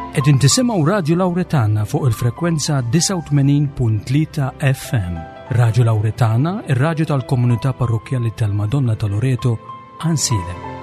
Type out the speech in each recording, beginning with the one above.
Qegħdin tisimgħu Radju Lawretana fuq il-frekwenza 89.3 FM. Radju Lawretana, ir-radju tal-komunità parrokkjali tal-Madonna ta' Loreto, Ansilem.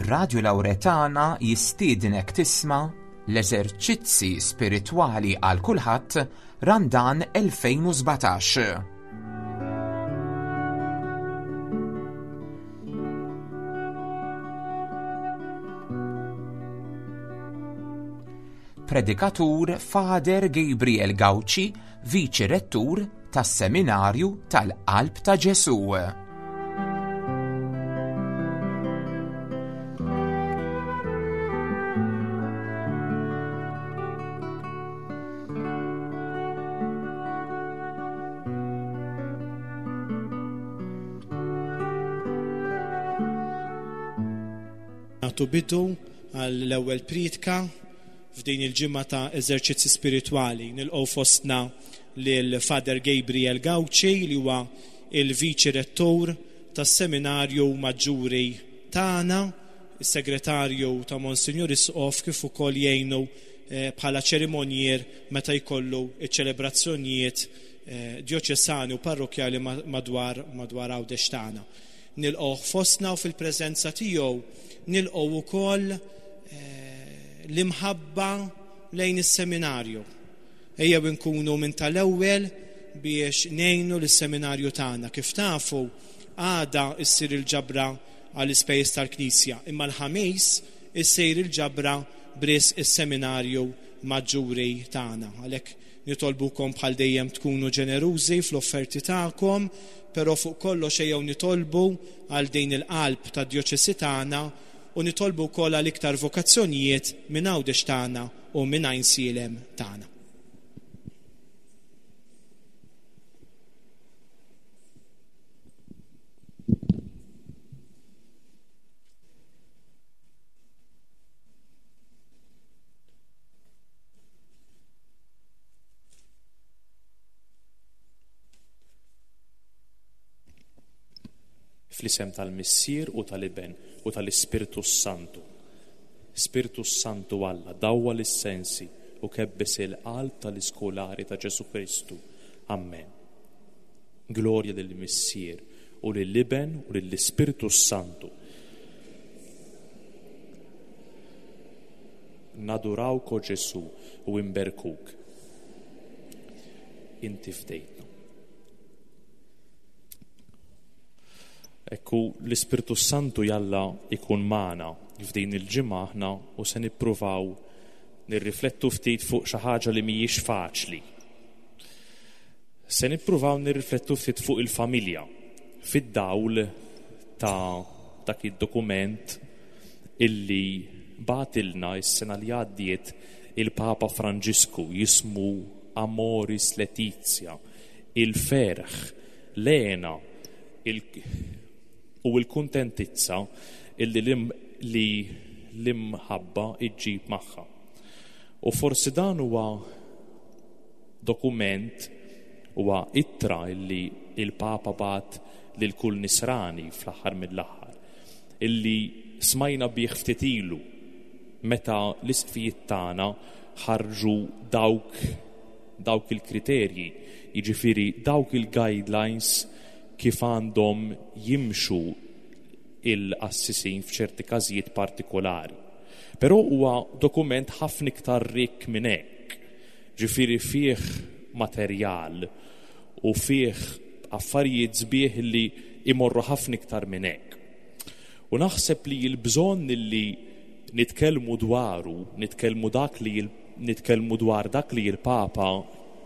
Radio Lauretana jistiednek tisma' l-eżerċizzi spiritwali għal kulħadd Randan 2017. Predikatur Father Gabriel Gauci, Viċi Rettur tas-Seminarju tal-Qalb ta' Ġesù. Nagħtu bidu għall-ewwel priedka f'din il-ġimgħa ta' eżerċizzi spiritwali. Nilqgħu fostna lil Father Gabriel Gauci li huwa il-Viċi Rettur tas-Seminarju Maġġuri tagħna, is-Segretarju ta' Monsinjur Isqof kif ukoll jgħinu eh, bħala ċerimonjier meta jkollu ċ-ċelebrazzjonijiet eh, djoċesani u parrokkjali madwar madwar Għawdex tagħna. Nilqgħuh fostna u fil-preżenza tiegħu nilqgħu wkoll eh, l-imħabba lejn is-seminarju. Ejjew inkunu minn tal-ewwel biex ngħinu lis-seminarju tagħna. Kif tafu, għada issir il-ġabra għall-ispejjeż tal-Knisja, imma l-Ħamis issir il-ġabra b'risq is-seminarju maġġuri tagħna. Għalhekk Nitolbukom bħal dejjem tkunu ġenerużi fl-offerti tagħkom, però fuq kollox ejjew nitolbu għal din il-qalb tad-djoċesi tagħna u nitolbu wkoll għal iktar vokazzjonijiet minn Għawdex tagħna u minn Għajnsielem tagħna. Fl-isem tal-Missier u tal-Iben u tal-Ispirtu s-Santu. Spirtu s-Santu Alla, dawwal is-sensi u kebbes il-qalb tal-iskolari ta' Ġesù Kristu. Ammen. Glorja lill-Missier u lill-Iben u lill-Ispirtu s-Santu. Nadurawk, o Ġesù, u inberkuk. Inti fdejtna. Ekku l-Ispirtu Santu jalla ikun magħna f'din il-ġimgħa aħna u se nippruvaw nirriflettu ftit fuq xi ħaġa li mhijiex faċli. Se nippruvaw nirriflettu ftit fuq il-familja fid-dawl ta' dak id-dokument illi bagħtilna s-sena li għaddiet il-Papa Franġisku jismu Amoris Laetitia, il-ferħ, l-hena u l-kuntentizza illi li l-imħabba iġġib magħha. U forsi dan huwa dokument huwa ittra illi il-Papa bagħat lil kull nisrani fl-aħħar mill-aħħar. illi smajna bih ftit ilu meta l-isqfijiet tagħna ħarġu dawk dawk il-kriterji, jiġifieri dawk il-guidelines kif għandhom jimxu il-qassisin f'ċerti każijiet partikolari. Però huwa dokument ħafna iktar rikk minn hekk, ġifieri fih materjal u fih affarijiet sbieħ li imorru ħafna iktar minn hekk. U naħseb li l-bżonn li nitkellmu dwaru, nitkellmu dak li nitkellmu dwar dak li l-Papa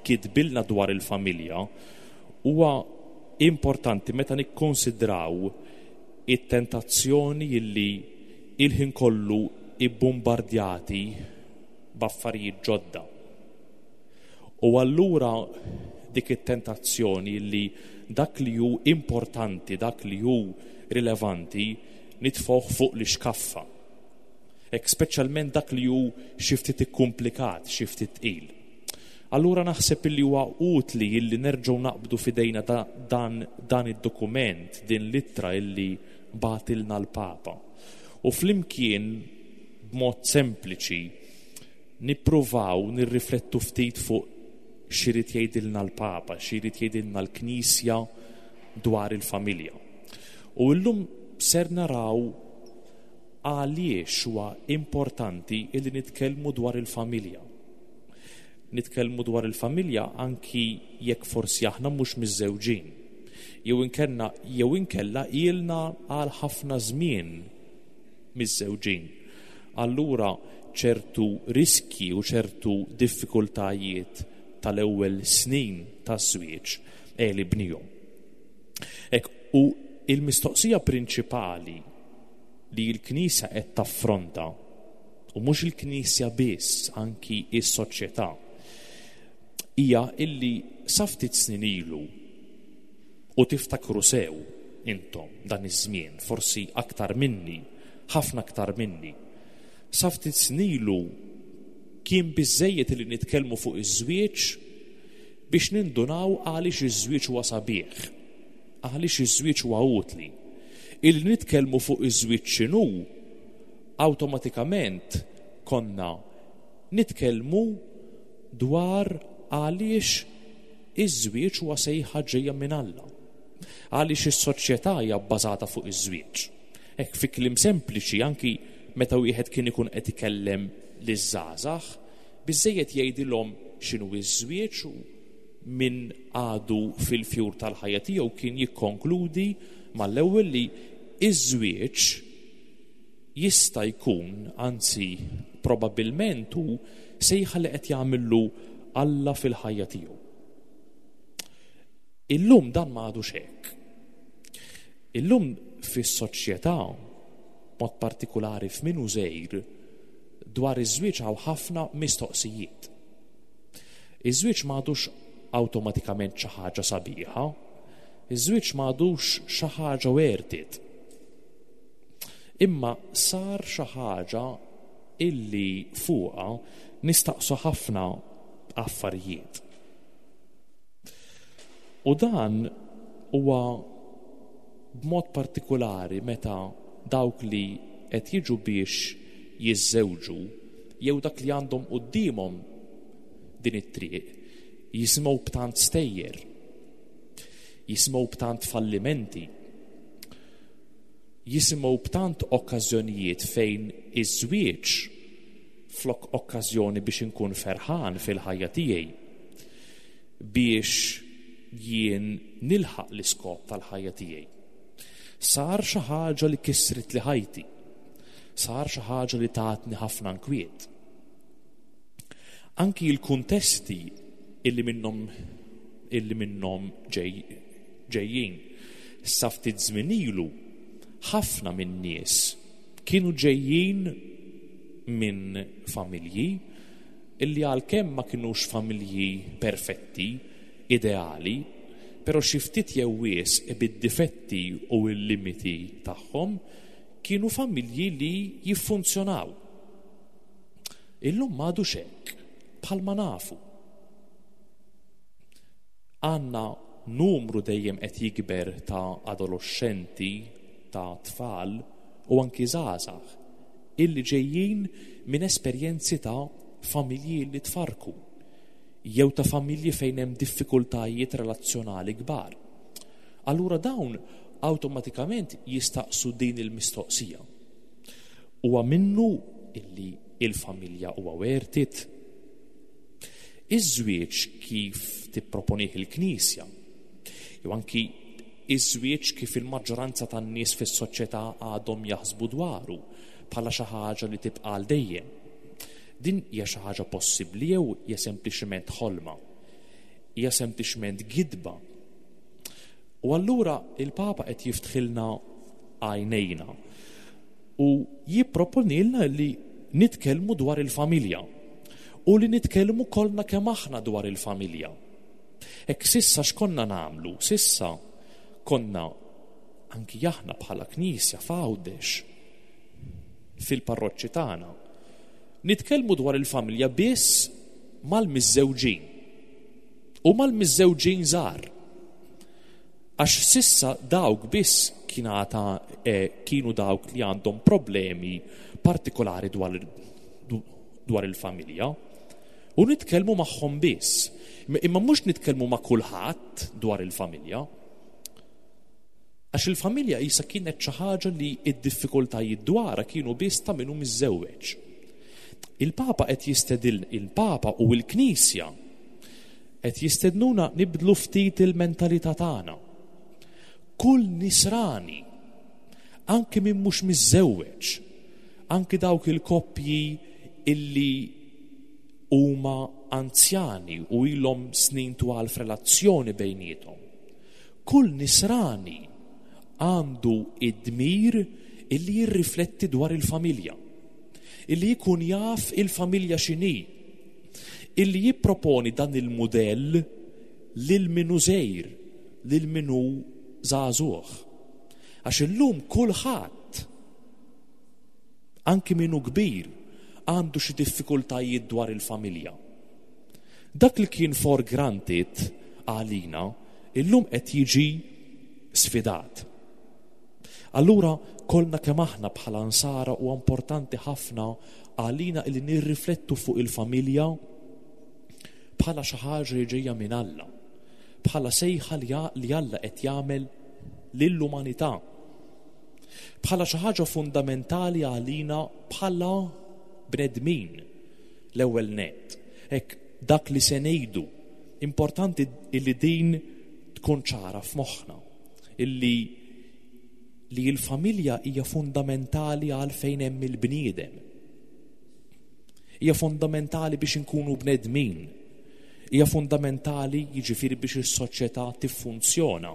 kitbilna dwar il-familja, huwa importanti meta nikkonsidraw It-tentazzjoni illi il-ħin kollu ibbumbardjati b'affarijiet ġodda. U allura dik it-tentazzjoni li dak li hu importanti, dak li hu rilevanti, nitfgħuh fuq l-ixkaffa. Hekk speċjalment dak li hu xi ftit ikkumplikat, xi ftit tqil. Allura naħseb illi huwa utli illi nerġgħu naqbdu f'idejna dan, dan id-dokument, din l-ittra illi bagħtilna l-Papa. U flimkien b'mod sempliċi nippruvaw nirriflettu ftit fuq x'irid jgħidilna l-Papa, x'irid jgħidilna l-Knisja dwar il-familja. U llum ser naraw għaliex huwa importanti illi nitkellmu dwar il-familja. Nitkellmu dwar il-familja anki jekk forsi aħna mhux miżżewġin. Jew inkenna jew inkella ilna għal ħafna żmien miżżewġin. Allura ċertu riskji u ċertu diffikultajiet tal-ewwel snin taż-żwieġ għelibnihom. Hekk, u il-mistoqsija prinċipali li l-Knisja qed taffronta, u mhux il-Knisja biss, anki s-soċjetà, hija illi sa ftit snin ilu, u tiftakru sew intom dan iż-żmien, forsi aktar minni, ħafna aktar minni, sa ftit snin ilu kien biżżejjed illi nitkellmu fuq iż-żwieġ biex nindunaw għaliex iż-żwieġ huwa sabiħ, għaliex iż-żwieġ huwa utli. Illi nitkellmu fuq iż-żwieġ x'inhu, awtomatikament konna nitkellmu dwar għaliex iż-żwieġ huwa sejħa ġejja minn Alla. Għaliex is-soċjetà hija bbażata fuq iż-żwieġ. Hekk fi kliem sempliċi anki meta wieħed kien ikun qed ikellem liż-żgħażagħ, biżżejjed jgħidilhom x'inhu ż-żwieġ u min għadu fil-fjur tal-ħajja tiegħu kien jikkonkludi mal-ewwel li ż-żwieġ jista' jkun, anzi probabbilment hu, sejħa li qed jagħmillu Alla fil-ħajja tiegħu. Illum dan ma għadux hekk. Illum fis-soċjetà, mod partikulari f'min hu żgħir, dwar iż-żwieġ hawn ħafna mistoqsijiet. Iż-żwieġ ma għadux awtomatikament xi ħaġa sabiħa, iż-żwieġ ma għadux xi ħaġa worth it. Imma sar xi ħaġa illi fuqha nistaqsu ħafna affarijiet. U dan huwa b'mod partikulari meta dawk li qed jiġu biex jiżżewġu jew dak li għandhom quddiemhom din it-triq jisimgħu b'tant stejjer, jisimgħu b'tant fallimenti, jisimgħu b'tant okkażjonijiet fejn iż-żwieġ flok okkażjoni biex inkun ferħan fil-ħajja tiegħi, biex jien nilħaq l-iskop tal-ħajja tiegħi. Sar xi ħaġa li kissritli ħajti. Sar xi ħaġa li tatni ħafna nkwiet. Anki l-kuntesti illi minnhom illi minnhom ġej, ġejjin. Sa ftit żmien ilu ħafna min-nies kienu ġejjin minn familji illi għalkemm ma kinux familji perfetti, ideali, però xi ftit jew wisq bid-difetti u l-limiti tagħhom, kienu familji li jiffunzjonaw. Illum m'għadux hekk, bħalma nafu. Għandna numru dejjem qed jikber ta' adoloxxenti, ta' tfal u anki żgħażagħ illi ġejjin minn esperjenzi ta' familji li tfarrku jew ta' familji fejn hemm diffikultajiet relazzjonali kbar. Allura dawn awtomatikament jistaqsu din il-mistoqsija. Huwa minnu illi il-familja huwa worth it? Iż-żwieġ kif tipproponih il-Knisja, jew anki iż-żwieġ kif il-maġġoranza tan-nies fis-soċjetà għadhom jaħsbu dwaru bħala xi ħaġa li tibqa' għal dejjem. Din hija xi ħaġa possibbli jew hija sempliċement ħolma? Hija sempliċement gidba? U allura il-Papa qed jiftħilna għajnejna u jipproponilna li nitkellmu dwar il-familja u li nitkellmu kollna kemm aħna dwar il-familja. Hekk sissa x'konna nagħmlu? Sissa konna anki aħna bħala Knisja f'Għawdex fil-parroċċi tagħna nitkellmu dwar il-familja biss mal-miżżewġin u mal-miżżewġin żgħar. Għax sissa dawk biss kienata eh, kienu dawk li għandhom problemi partikolari dwar, dwar il-familja. U nitkellmu magħhom biss. Imma mhux nitkellmu ma' kulħadd dwar il-familja. Għax il-familja qisha kienet xi ħaġa li d-diffikultajiet dwarha kienu biss ta' min hu miżżewweġ. Il-Papa qed jistedil il-Papa u l-Knisja qed jistednuna nibdlu ftit il-mentalità tagħna. Kull nisrani, anki min mhux miżżewweġ, anki dawk il-koppji illi huma anzjani u ilhom snin twal f'relazzjoni bejniethom, Kull Nisrani għandu d-dmir illi jirrifletti dwar il-familja, illi jkun jaf il-familja x'inhi, illi jipproponi dan il-mudell lil min hu żgħir, lil min hu żagħżugħ. Għax illum kulħadd, anki min hu kbir, għandu xi diffikultajiet dwar il-familja. Dak li kien for granted għalina, illum qed jiġi sfidat. Allura kollna kemm aħna bħala nsara huwa importanti ħafna għalina li nirriflettu fuq il-familja bħala xi ħaġa li ġejja minn Alla, bħala sejħa li Alla qed jagħmel lill-umanità, bħala xi ħaġa fundamentali għalina bħala bnedmin. L-ewwel nett, hekk dak li se ngħidu, importanti illi din tkun ċara f'moħħna, illi li l-familja hija fundamentali għal fejn hemm il-bniedem. Hija fundamentali biex inkunu bnedmin. Hija fundamentali jiġifieri biex is-soċjetà tiffunzjona,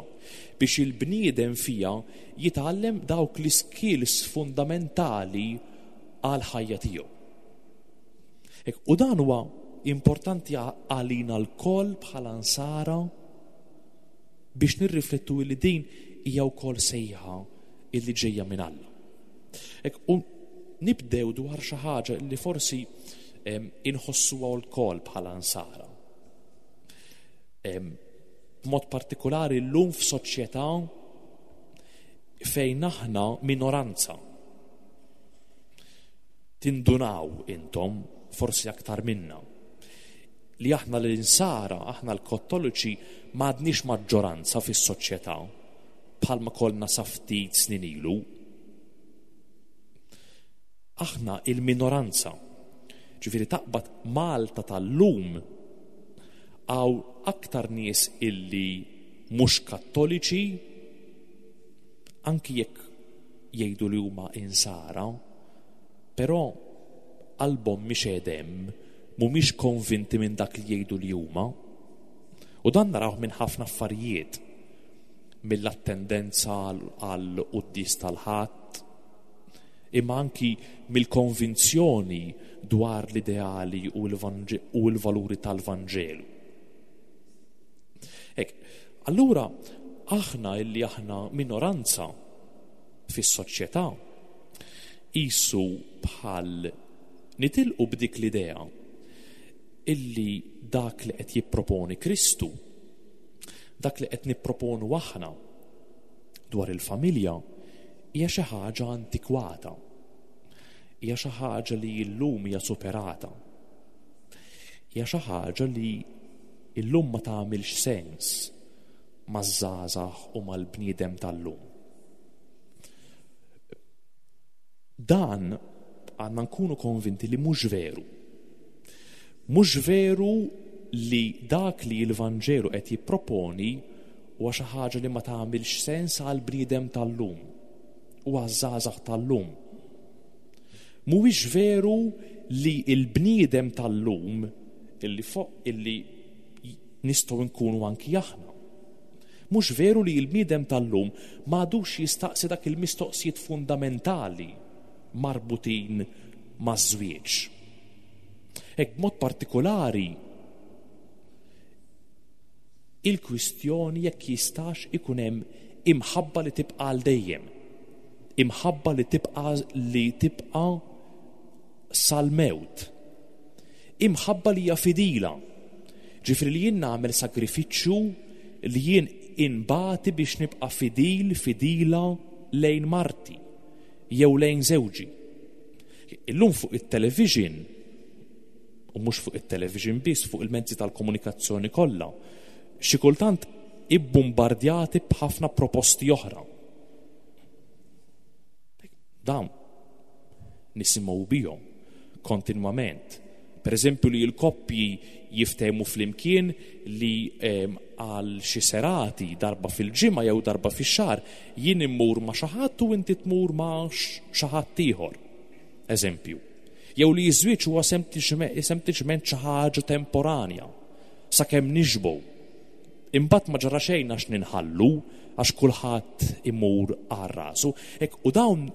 biex il-bniedem fiha jitgħallem dawk l-iskills fundamentali għall-ħajja tiegħu. U dan huwa importanti għalina lkoll bħala nsara biex nirriflettu li din hija wkoll sejħa illi ġejja minn Alla. U nibdew dwar xi ħaġa li forsi inħossuha wkoll bħala nsara. B'mod partikolari llum f'soċjetà fejn aħna minoranza. Tindunaw intom, forsi aktar minna, li aħna l-Insara, aħna l-Kattoliċi m'għadniex maġġoranza fis-soċjetà bħalma kollna sa ftit snin ilu. Aħna il-minoranza. Ġifieri taqbad Malta tal-lum hawn aktar nies illi mhux Kattoliċi anki jekk jgħidu li huma Insara, però qalbhom mhix qiegħda hemm, mhumiex konvinti minn dak li jgħidu li huma. U dan narawh minn ħafna affarijiet, mill-attendenza għal quddies tal-Ħadd, imma anki mill-konvinzjoni dwar l-ideali u l-valuri tal-Vanġelu. Hekk, allura aħna illi aħna minoranza fis-soċjetà, qisu bħal nitilqu b'dik l-idea illi dak li qed jipproponi Kristu, dak li qed nipproponu aħna dwar il-familja hija xi ħaġa antikwata. Hija xi ħaġa li llum hija superata. Hija xi ħaġa li illum ma tagħmilx sens maż-żgħażagħ u mal-bniedem tal-lum. Dan għandna nkunu konvinti li mhux veru. Mhux veru li dak li l-Vanġelu qed jipproponi huwa xi ħaġa li ma tagħmilx sens għall-bniedem tal-lum u għaż-żgħażagħ tal-lum. Mhuwiex veru li l-bniedem tal-lum illi fuq illi nistgħu nkunu anki aħna. Mhux veru li l-bniedem tal-lum m'għadux jistaqsi dak il-mistoqsijiet fundamentali marbutin maż-żwieġ. Hekk b'mod partikolari il-kwistjoni jekk jistax ikun hemm imħabba li tibqa' għal dejjem. Imħabba li tibqa' li tibqa' sal-mewt. Imħabba li hija fidila. Ġifieri li jien nagħmel sagrifiċċju li jien inbati biex nibqa' fidil, fidila lejn marti jew lejn żewġi. Illum fuq it-television, u mhux fuq it-television biss, fuq il-mezzi tal-komunikazzjoni kollha, xi kultant ibbumbardjati b'ħafna proposti oħra. Dawn nisimgħu bihom kontinwament. Per eżempju li l-koppji jiftehmu flimkien li ehm, għal xi serati darba fil-ġimgħa jew darba fix-xahar jien immur ma' xi ħadd u inti tmur ma' xi ħadd ieħor. Eżempju. Jew li ż-żwieġ huwa sempliċement xi ħaġa temporanja sakemm nixbgħu. Imbagħad ma ġara xejn għax ninħallu għax kulħadd imur għal rasu. U dawn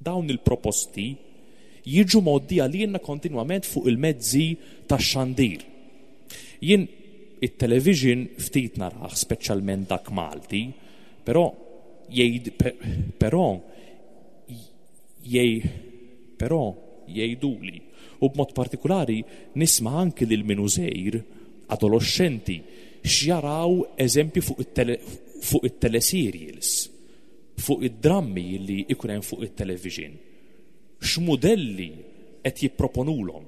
Dawn il-proposti jiġu mgħoddija lilna kontinwament fuq il-mezzi tax-xandir. Jien it-television ftit narah, speċjalment dak Malti, però jgħid però jgħid però jgħiduli u b'mod partikulari nisma' anki lil min hu żgħir, adoloxxenti, x'jaraw eżempju fuq it-teleserials. fuq id-drammi li jkun hemm fuq it-television? X'mudelli qed jipproponulhom?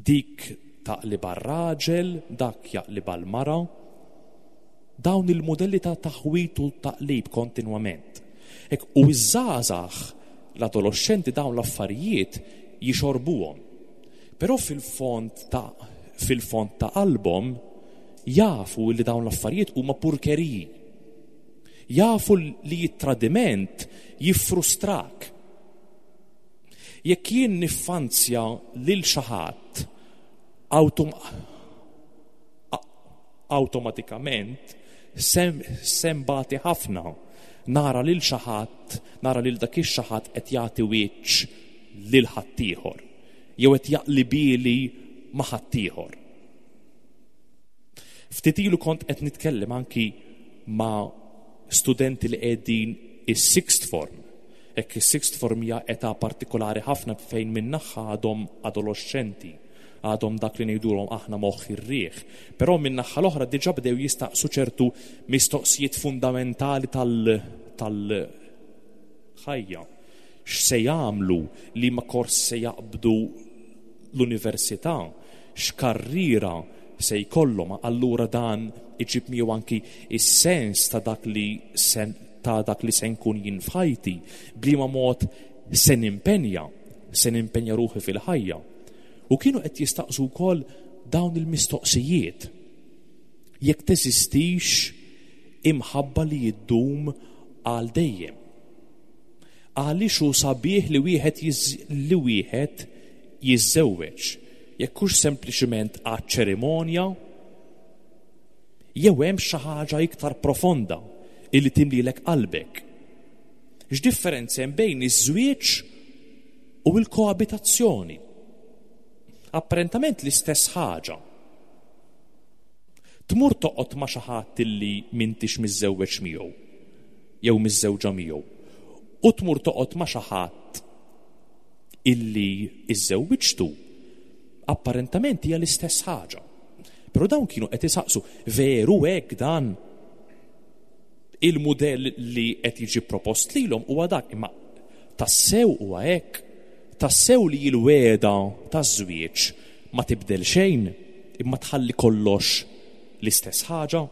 Dik taqlibha r-raġel, dak jaqlibha l-mara. Dawn il-mudelli ta' taħwid u taqlib kontinwament. Hekk u ż-żgħażagħ, l-adoloxxenti dawn l-affarijiet jixorbuhom. Però fil-fond ta' fil-fond ta' qalbhom jafu li dawn l-affarijiet huma purkeriji. Jafu li t-tradiment jiffrustrak. Jekk jien niffanzja lil xi ħadd awtomatikament se nbati ħafna nara lil xi ħadd, nara lil dak ix-xi ħadd qed jagħti wiċċ lil ħaddieħor jew qed jaqlibieli ma' ħaddieħor. Ftit ilu kont qed nitkellem anki ma' studenti li qegħdin is-sixth form. Hekk is-sixth form hija età partikolari ħafna fejn min-naħa għadhom adoloxxenti, għadhom dak li ngħidulhom aħna moħħ ir-riħ. Però min-naħa l-oħra diġà bdew jistaqsu ċertu mistoqsijiet fundamentali tal-ħajja. X'se jagħmlu, liema kors se jaqbdu l-università, x'karriera se jkollhom, allura dan iġib miegħu anki s-sens ta' dak li se ta' dak li se nkun jien f'ħajti, b'liema mod se nimpenja, se nimpenja ruħi fil-ħajja. U kienu qed jistaqsu wkoll dawn il-mistoqsijiet. Jekk teżistix imħabba li ddum għal dejjem. Għaliex hu sabiħ li wieħed li wieħed jiżżewweġ, jekk hux sempliċiment għaċ-ċerimonja jew hemm xi ħaġa iktar profonda illi timlilek qalbek. X'differenza hemm bejn iż-żwieġ u l-koabitazzjoni? Apparentament l-istess ħaġa. Tmur toqgħod ma' xi ħadd illi m'intix miżżewweġ miegħu jew miżżewġa miegħu u tmur toqgħod ma' xi ħadd illi iżżewwiġtu, apparentament hija l-istess ħaġa. Però dawn kienu qed isaqsu, veru hekk dan? Il-mudell li qed jiġi propost lilhom huwa dak, imma tassew huwa hekk? Tassew li l-wegħda taż-żwieġ ma tibdel xejn imma tħalli kollox l-istess ħaġa?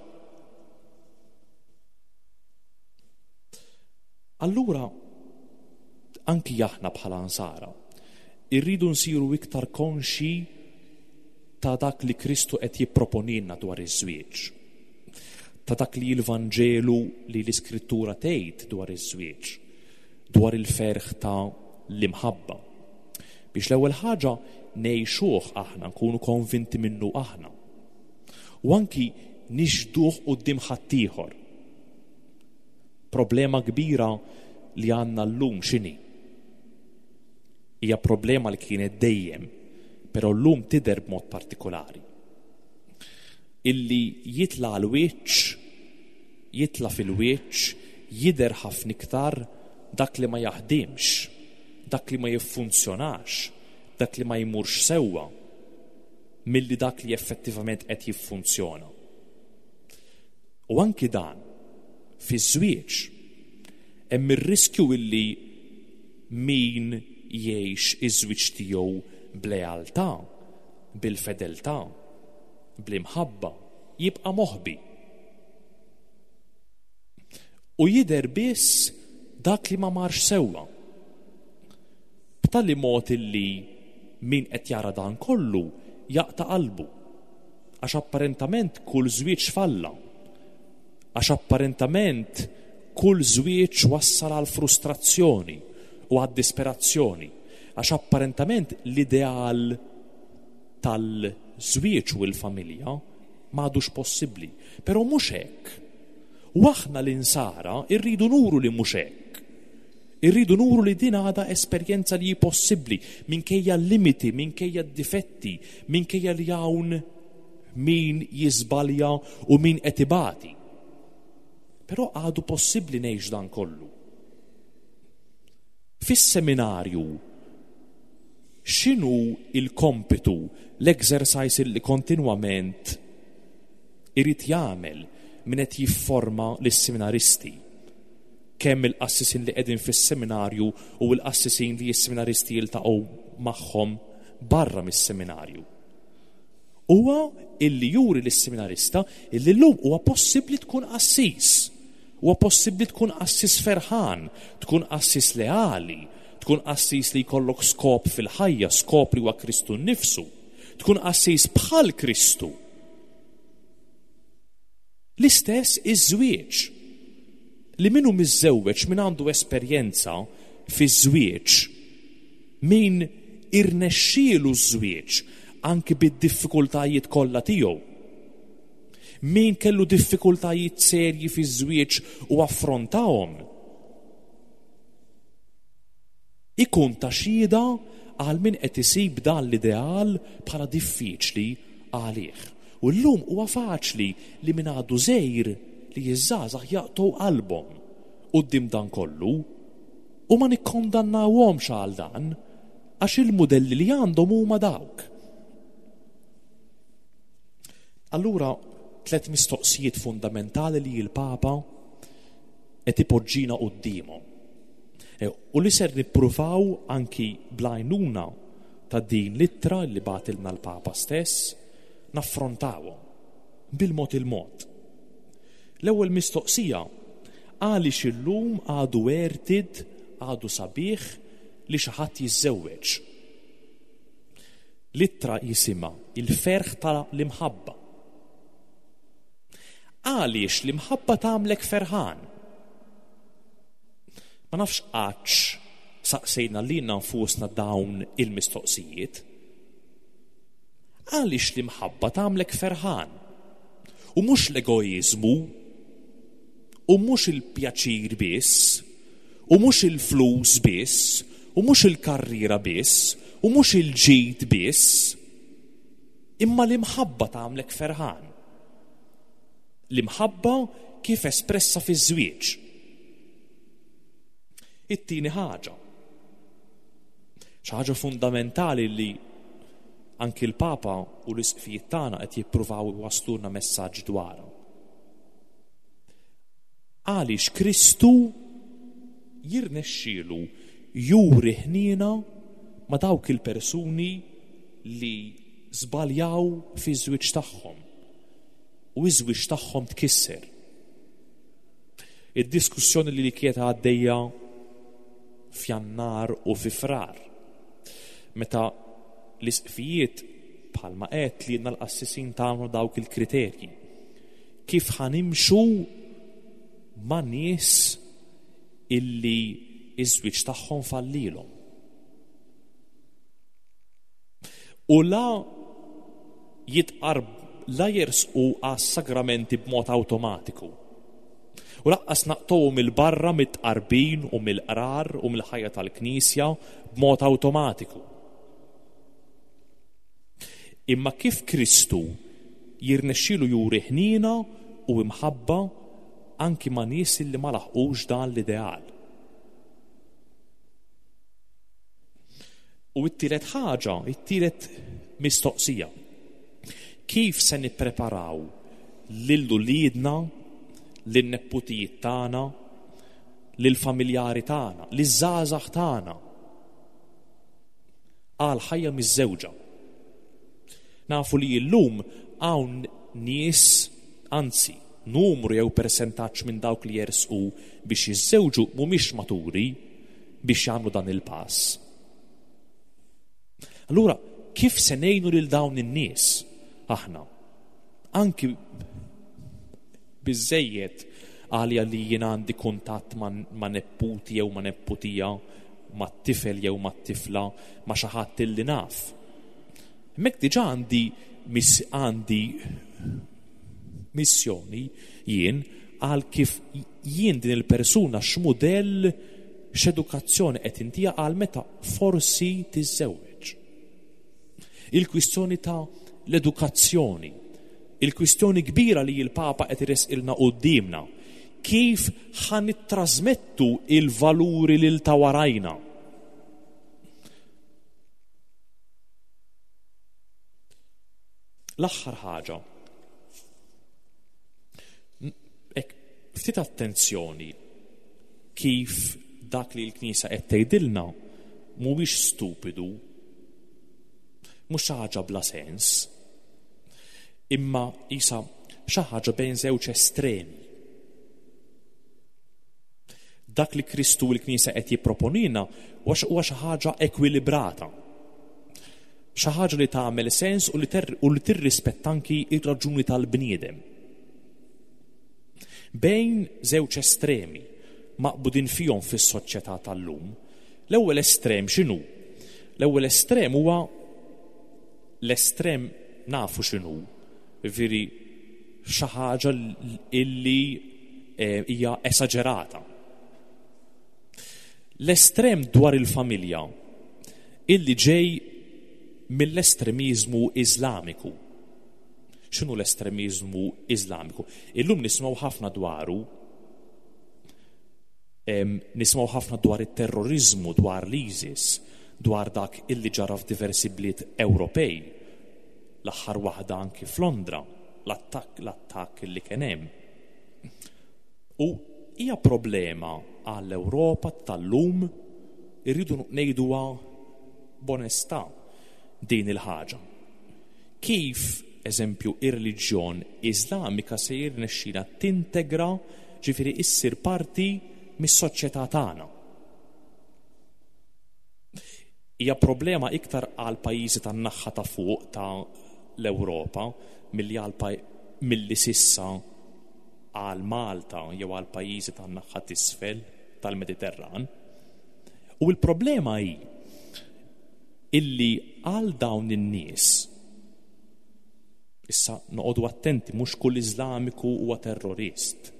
Allura, anki aħna bħala Nsara, irridu nsiru iktar konxji ta' dak li Kristu qed jipproponilna dwar iż-żwieġ, ta' dak li l-Vanġelu li l-Iskrittura tgħid dwar iż-żwieġ, dwar il-ferħ ta' l-imħabba. Biex l-ewwel ħaġa ngħixuh aħna, nkunu konvinti minnu aħna. U anki nixhduh quddiem ħaddieħor. Problema kbira li għandna llum x'inhi? Hija problema li kienet dejjem, però llum tidher b'mod partikolari. Illi jitla' għall-wiċċ, jitla' fil-wiċċ, jidher ħafna iktar dak li ma jaħdimx, dak li ma jiffunzjonax, dak li ma jmurx sewwa, milli dak li effettivament qed jiffunzjona. U anki dan, fiż-żwieġ, hemm ir-riskju illi min jgħix iż-żwieġ tiegħu b'lealtà, bil-fedeltà, bl-imħabba, jibqa' moħbi. U jidher biss dak li ma marx sewwa. B'tali mod illi min qed jara dan kollu jaqta' qalbu. Għax apparentament kull żwieġ falla. Għax apparentament kull żwieġ wassal għal frustrazzjoni u għad-disperazzjoni. Għax apparentament l-ideal tal-żwieġ u l-familja m'għadux possibbli. Però mhux hekk. U aħna l-insara rridu nuru li mhux hekk. Irridu nuru li din għadha esperjenza li hi possibbli minkejja l-limiti, minkejja d-difetti, minkejja li hawn min jiżbalja u min qed ibati. Però għadu possibbli ngħix dan kollu. Fis-seminarju x'inhu l-kompitu, l-exercise li kontinwament irid jagħmel min qed jifforma lis-seminaristi? Kemm il-qassisin li qegħdin fis-seminarju u l-qassisin li s-seminaristi jiltaqgħu magħhom barra mis-seminarju. Huwa illi juri lis-seminarista illi llum huwa possibbli tkun qassis. Huwa possibbli tkun qassis ferħan, tkun qassis leali, tkun qassis li jkollok skop fil-ħajja, skop li huwa Kristu nnifsu, tkun qassis bħal Kristu. L-istess iż-żwieġ. Li min hu miżżewweġ, min għandu esperjenza fiż-żwieġ, min irnexxielu ż-żwieġ anki bid-diffikultajiet kollha tiegħu, min kellu diffikultajiet serji fiż-żwieġ u affrontahom, ikun ta' xhieda għal min qed isib dan l-ideal bħala diffiċli għalih. U llum huwa faċli li min għadu żgħir li ż-żgħażagħ jaqtgħu qalbhom quddiem dan kollu u ma nikkondannawhomx għal dan għax il-mudelli li għandhom huma dawk. Allura tlett mistoqsijiet fundamentali li l-Papa qed ipoġġina quddiemhom. E, u li ser nippruvaw anki bl-għajnuna ta' din l-ittra li bagħtilna l-Papa stess naffrontawhom bil-mod il-mod. L-ewwel mistoqsija, għaliex illum għadu għertid, għadu sabiħ li xi ħadd jiżżewweġ? L-ittra jisimha il-ferħ ta' l-imħabba. Għaliex l-imħabba tagħmlek ferħan? Ma nafx qattx saqsejna lilna nfusna dawn il-mistoqsijiet. Għaliex l-imħabba tagħmlek ferħan? U mhux l-egoiżmu, u mhux il-pjaċir biss, u mhux il-flus biss, u mhux il-karriera biss, u mhux il-ġid biss, imma l-imħabba tagħmlek ferħan. L-imħabba kif espressa fiż-żwieġ. It-tieni ħaġa, xi ħaġa fundamentali li anki l-Papa u l-isqfijiet tagħna qed jippruvaw iwasslulna messaġġ dwarha. Għaliex Kristu jirnexxielu juri ħniena ma' dawk il-persuni li żbaljaw fiż-żwieġ tagħhom u ż-żwieġ tagħhom tkisser. Id-diskussjoni li kienet għaddejja f'Jannar u fi Frar. Meta l-isqfijiet bħalma qed li l-qassisin tagħmlu dawk il-kriterji. Kif ħanimxu ma' nies illi iż-żwieġ tagħhom fallilhom. U la jitqarb la jersqu għas-sagramenti b'mod awtomatiku. U laqqas naqtgħuhom 'il barra mit-tqarbin u mill-qrar u mill-ħajja tal-Knisja b'mod awtomatiku. Imma kif Kristu jirnexxielu juri ħniena u imħabba anki ma' nies li ma laħqux dan l-ideal. U t-tielet ħaġa, it-tielet mistoqsija. Kif se nippreparaw lil uliedna, lin-nepputijiet tagħna, lill-familjari tagħna, liż-żgħażagħ tagħna għal ħajja miżżewġa? Nafu li llum hawn nies, anzi, numru jew persentaġġ minn dawk li jersqu biex jiżżewġu mhumiex maturi biex jagħmlu dan il-pass. Allura, kif se ngħinu lil dawn in-nies aħna? Anki biżejjed għalija li jien għandi kuntatt ma' nepputi jew ma' nepputija, ma' tifel jew ma' tifla, ma' xi ħadd illi naf. Hemmhekk diġà għandi għandi missjoni jien għal kif jien din il-persuna x'mudell x'edukazzjoni qed intiha għal meta forsi tiżżewweġ. Il-kwistjoni ta' l-edukazzjoni, il-kwistjoni kbira li l-Papa qed iresqilna quddiemna, kif ħa nittrażmettu il-valuri lil ta' warajna. L-aħħar ħaġa. Ek, ftit attenzjoni kif dak li l-Knisja qed tgħidilna mhuwiex stupidu, mhux xi ħaġa bla sens, imma isa xi ħaġa bejn żewġ estremi. Dak li Kristu u l-Knisja qed jipproponina huwa xi ħaġa ekwilibrata. Xi ħaġa li tagħmel sens u li tirrispetta anki r-raġuni tal-bniedem. Bejn żewġ estremi maqbudin fihom fis-soċjetà tal-lum, l-ewwel estrem x'inhu? L-ewwel estrem huwa l-estrem nafu x'inhu, jiġifieri xi ħaġa illi eh, hija esaġerata. L-estrem dwar il-familja illi ġej mill-estremiżmu Iżlamiku. X'inhu l-estremiżmu Iżlamiku? Illum nisimgħu ħafna dwaru. Nisimgħu ħafna dwar it-terroriżmu, dwar l-ISIS, dwar dak illi ġara f'diversi bliet Ewropej. L-aħħar waħda anki f'Londra, l-attakk l-attakk illi kien hemm. U hija problema għall-Ewropa tal-lum, irridu ngħiduha b'onestà din il-ħaġa. Kif, eżempju, ir-reliġjon Iżlamika se jirnexxilha tintegra, ġifieri issir parti mis-soċjetà tagħna? Hija problema iktar għal pajjiżi tan-naħha ta' fuq ta' l-Ewropa milli għal milli s'issa għal Malta jew għal pajjiżi tan-naħha t'isfel tal-Mediterran. U l-problema hi illi għal dawn in-nies issa noqogħdu attenti mhux kull Iżlamiku huwa terrorist.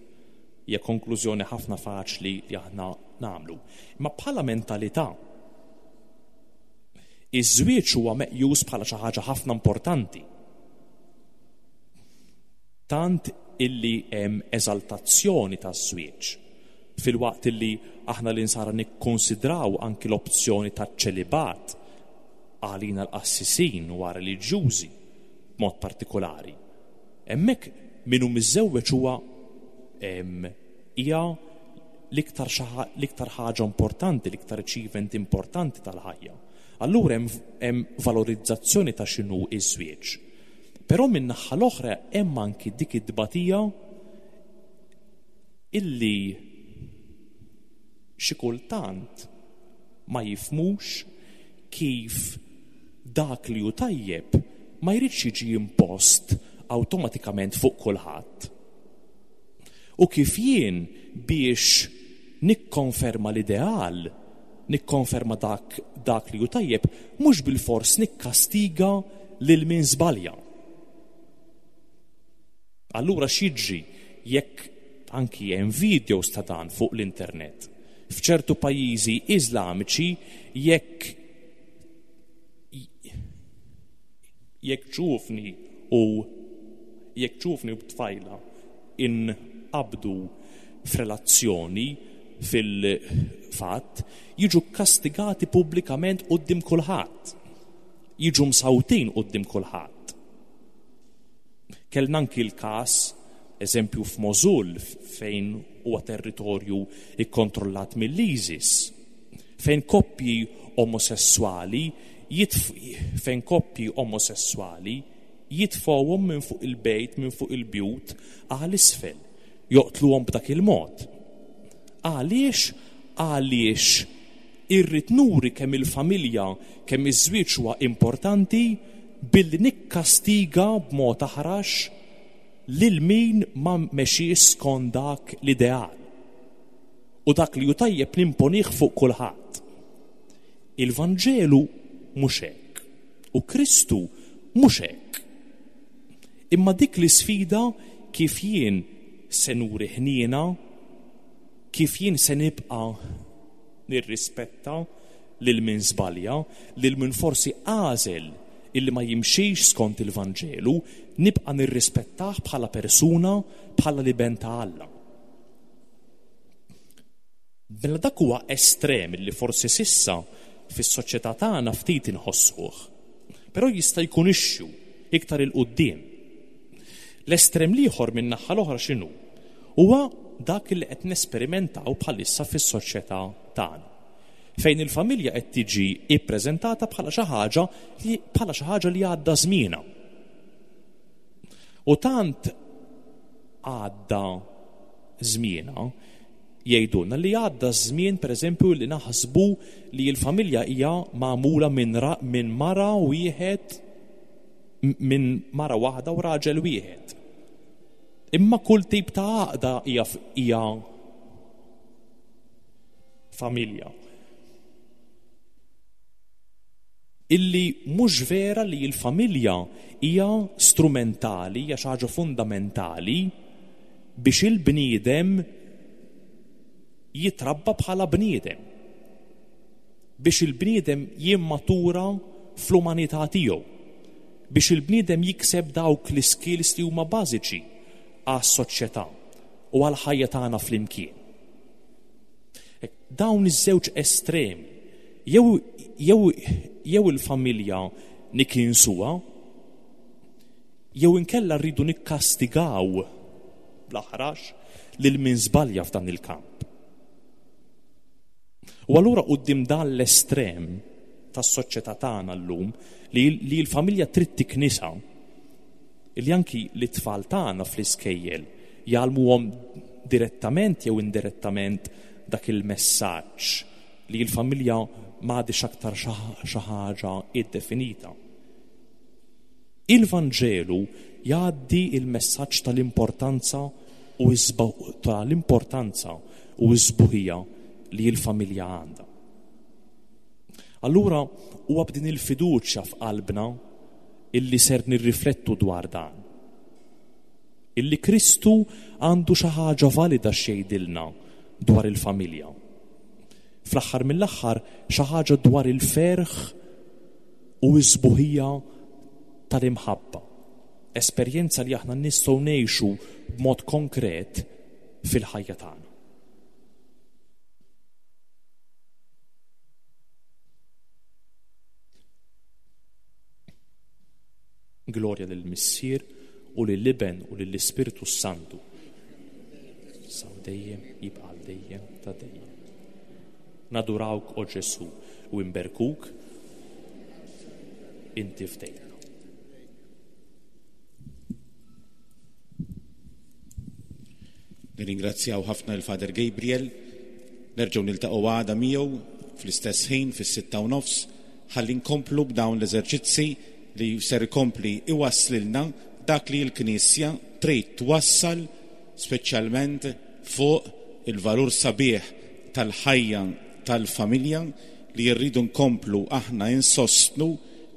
Hija konklużjoni ħafna faċli li aħna nagħmlu. Imma bħala mentalità iż-żwieġ huwa meqjus bħala xi ħaġa ħafna importanti. Tant illi hemm eżaltazzjoni taż-żwieġ, filwaqt illi aħna l-Insara nikkunsidraw anki l-opzjoni taċ-ċelibat għalina l-qassisin u għar-reliġjużi b'mod partikolari. Hemmhekk min hu miżżewweġ huwa hija l-iktar l-iktar ħaġa importanti, l-iktar achievement importanti tal-ħajja. Allura hemm valorizzazzjoni ta' x'inhu ż-żwieġ. Però min-naħa l-oħra hemm anki dik it-tbatija illi xi kultant ma jifhmux kif dak li hu tajjeb ma jridx jiġi impost awtomatikament fuq kulħadd. U kif jien biex nikkonferma l-ideal nikkonferma dak dak li hu tajjeb mhux bilfors nikkastiga lil min żbalja. Allura x'jiġri jekk anki hemm videos ta' dan fuq l-internet? F'ċertu pajjiżi Iżlamiċi jekk jekk ġuvni u jekk ġuvni u tfajla inqabdu f'relazzjoni fil-fatt jiġu kkastigati pubblikament quddiem kulħadd. Jiġu msawtin quddiem kulħadd. Kellna anki l-każ, eżempju f'Mosul fejn huwa territorju ikkontrollat mill-ISIS, fejn koppji omosesswali fejn koppji omosesswali jitfgħuhom minn fuq il-bejt, minn fuq il-bjut għal isfel, joqtluhom b'dak il-mod. Għaliex? Għaliex irrid nuri kemm il-familja, kemm iż-żwieġ huwa importanti billi nikkastiga b'mod aħrax lil min ma mexiex skont dak l-ideal. U dak li hu tajjeb nimponih fuq kulħadd. Il-Vanġelu mhux hekk. U Kristu mhux hekk. Imma dik l-isfida kif jien se nuri ħniena, kif jien se nibqa' nirrispetta lil min żbalja, lil min forsi għażel illi ma jimxix skont il-Vanġelu, nibqa' nirrispettah bħala persuna, bħala l-iben ta' Alla. Mela dak huwa estrem li forsi s'issa fis-soċjetà tagħna ftit inħossuh. Però jista' jkun issue iktar 'il quddiem. L-estrem l-ieħor min-naħa l-oħra x'inhu? Huwa dak li qed nesperimentaw bħalissa fis-soċjetà tagħna. Fejn il-familja qed tiġi ippreżentata bħala xi ħaġa li bħala xi ħaġa li għadda żmienha. U tant għadda żmienha jgħidulna li għadda ż-żmien pereżempju li naħsbu li l-familja hija magħmula minn min mara wieħed minn mara waħda u raġel wieħed. Imma kull tip ta' għaqda hija hija familja. Illi mhux vera li l-familja hija strumentali, hija xi ħaġa fundamentali biex il-bniedem jitrabba bħala bniedem. Biex il-bniedem jimmatura fl-umanità tiegħu. Biex il-bniedem jikseb dawk l-iskills li huma bażiċi għas-soċjetà u għall-ħajja tagħna flimkien. Dawn iż-żewġ estremi, jew jew jew il-familja nikinsuha, jew inkella rridu nikkastigaw bl-aħrax lil min żbalja f'dan il-kamp. U allura quddiem dan l-estrem tas-soċjetà tagħna llum li, li l-familja trid tiknisa, li anki l-tfal tagħna fl-iskejjel jgħallmuhom direttament jew indirettament dak il-messaġġ li l-familja m'għadhiex aktar xi ħaġa iddefinita. Il-Vanġelu jgħaddi il-messaġġ tal-importanza u tal-importanza u s-sbuħija li l-familja għandha. Allura huwa b'din il-fiduċja f'qalbna illi ser nirriflettu dwar dan. Illi Kristu għandu xi ħaġa valida x'jgħidilna dwar il-familja. Fl-aħħar mill-aħħar xi ħaġa dwar il-ferħ u s-sbuħija tal-imħabba. Esperjenza li aħna nistgħu ngħixu b'mod konkret fil-ħajja tagħna. Glorja lill-Missier u lill-Iben u lill-Ispirtu s-Santu. Sa dejjem jibqa' dejjem ta' dejjem. Nadurawk o Ġesu u imberkuk inti fdejtna. Nirringrazzjaw ħafna l-Father Gabriel. Nerġgħu niltaqgħu għada miegħu fl-istess ħin fis-6:30 ħalli nkomplu b'dawn l-eżerċizzi li ser ikompli iwasslilna dak li l-Knisja trid twassal speċjalment fuq il-valur sabiħ tal-ħajja. tal-familja li rridu nkomplu aħna insostnu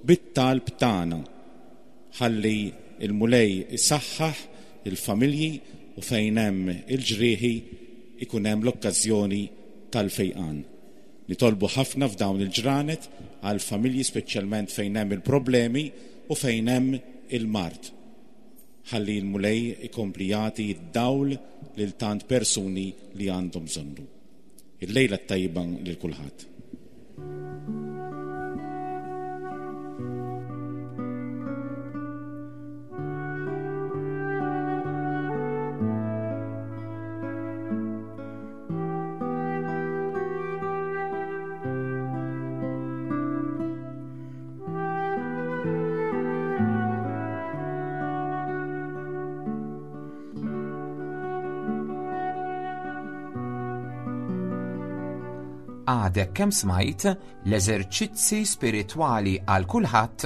bit-talb tagħna ħalli l-Mulej isaħħaħ il-familji u fejn hemm il-ġrieħi ikun hemm l-okkażjoni tal-fejqan. Nitolbu ħafna f'dawn il-ġranet għall-familji speċjalment fejn hemm il-problemi u fejn hemm il-mard. Ħalli l-Mulej ikompli jagħti d-dawl lil tant persuni li għandhom bżonnu. Il-lejla t-tajba lil kulħadd. Għadek kemm smajt l-eżerċizzi spiritwali għal kulħadd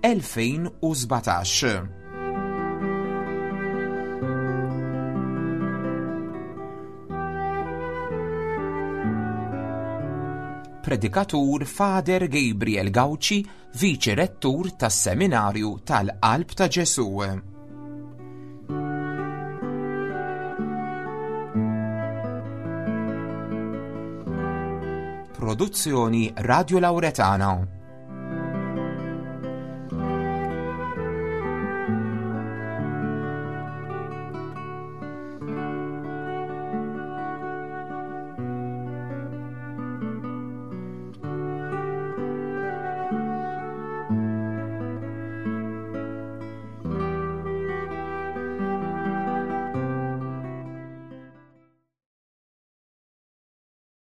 2017. Predikatur Father Gabriel Gauci, Viċi Rettur tas-Seminarju tal-Qalb ta' Ġesù. Produzzjoni Radio Lauretana.